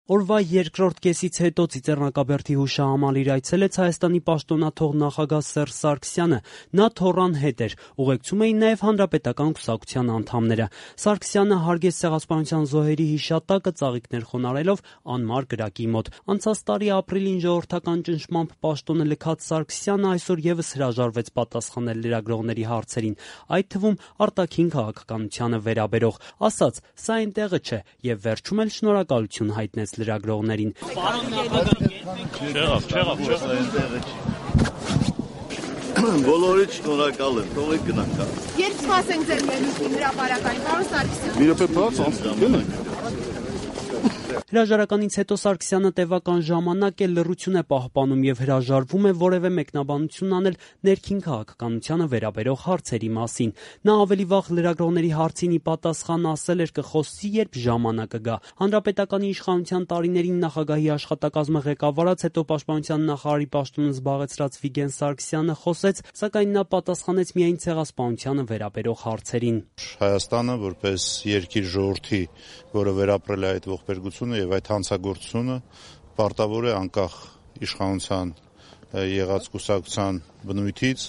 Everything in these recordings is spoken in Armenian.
Օրվա երկրորդ կեսից հետո Ծիծեռնակաբերդի հուշահամալիր այցելեց Հայաստանի պաշտոնաթող նախագահ Սերժ Սարգսյանը։ Նա թոռան հետ էր, ուղեկցում էին նաև հանրապետական կուսակցության անդամները։ Սարգսյանը հարգեց Ցեղասպանության զոհերի հիշատակը ծաղիկներ խոնարհելով անմար կրակի մոտ։ Անցած տարի ապրիլին ժողովրդական ճնշմամբ պաշտոնը լքած Սարգսյանը այսօր եւս հրաժարվեց պատասխանել լրագրողների հարցերին, այդ թվում արտաքին քաղաքականությանը վերաբերող։ Ասաց՝ սա այնտեղը չէ, եւ վերջում էլ շնորհակալություն հայտնեց լրագրողներին։ Բոլորից շնորհակալ եմ, թողեք գնանք։ Երբ սպասենք ձեր ելույթին հրապարակային, պարոն Սարգսյան։ Մի րոպե բաց անցնենք։ Հրաժարականից հետո Սարգսյանը տևական ժամանակ է լռություն է պահպանում եւ հրաժարվում է որևէ մեկնաբանություն անել ներքին քաղաքականությանը վերաբերող հարցերի մասին։ Նա ավելի վաղ լրագրողների հարցին ի պատասխան ասել էր կխոսի, երբ ժամանակը գա։ Հանրապետականի իշխանության տարիներին նախագահի աշխատակազմը ղեկավարած, հետո պաշտպանության նախարարի պաշտոնը զբաղեցրած Վիգեն Սարգսյանը խոսեց, սակայն նա պատասխանեց միայն ցեղասպանությանը վերաբերող հարցերին։ Հայաստանը որպես երկիր ժողովրդի, որը վերապրել է այդ ողբերգությունը եւ այդ հանցագործությունը պարտավոր է անկախ իշխանության եղած կուսակցության բնույթից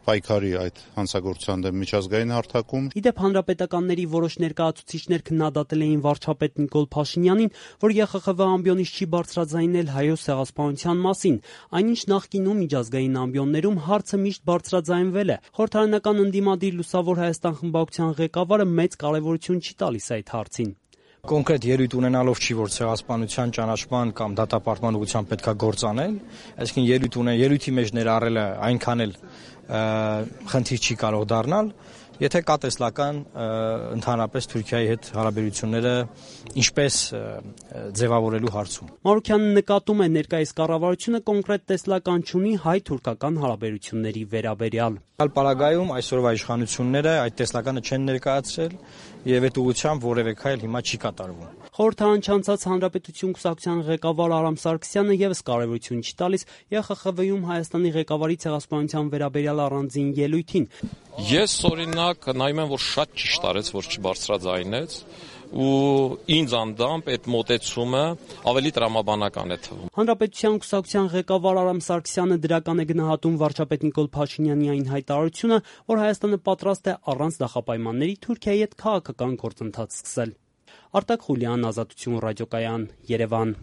պայքարի այդ հանցագործության դեմ միջազգային հարթակում։ Իդեպ հանրապետականների որոշ ներկայացուցիչներ քննադատել էին վարչապետ Նիկոլ Փաշինյանին, որ ԵԽԽՎ ամբիոնից չի բարձրաձայնել հայոց ցեղասպանության մասին, այնինչ նախկինում միջազգային ամբիոններում հարցը միշտ բարձրաձայնվել է։ Խորհրդարանական ընդդիմադիր Լուսավոր Հայաստան խմբակցության ղեկավարը մեծ կարևորություն չի տալիս այդ հարցին։ Կոնկրետ ելույթ ունենալով չի, որ ցեղասպանության ճանաչման կամ դատապարտման ուղղությամբ պետքա գործ անել, այսինքն ելույթի մեջ ներառելը այնքան էլ խնդիր չի կարող դառնալ, եթե կա տեսլական ընդհանրապես Թուրքիայի հետ հարաբերությունները ինչպես ձևավորելու հարցում։ Մարուքյանը նկատում է ներկայիս կառավարությունը կոնկրետ տեսլական չունի հայ-թուրքական հարաբերությունների վերաբերյալ։ Պարագայում այսօրվա իշխանությունները այդ տեսլականը չեն ներկայացրել եւ այդ ուղղությամբ որևէ քայլ հիմա չի կատարվում։ Խորհրդարան չանցած Հանրապետություն կուսակցության ղեկավար Արամ Սարգսյանը եւս կարևորություն չի տալիս ԵԽԽՎ-ում Հայաստանի ղեկավարի ցեղասպանության վերաբերյալ առանձին ելույթին։ Ես օրինակ նայում եմ, որ շատ ճիշտ արեց, որ չբարձրաձայնեց ու ինձ անդամբ այդ մոտեցումը ավելի տրամաբանական է թվում։ Հանրապետության կուսակցության ղեկավար Արամ Սարգսյանը դրական է գնահատում վարչապետ Նիկոլ Փաշինյանի այն հայտարարությունը, որ Հայաստանը պատրաստ է առանց նախապայմանների Թուրքիայի հետ քաղաքական գործընթաց սկսել։ Արտակ Խուլյան, Ազատություն ռադիոկայան, Երևան։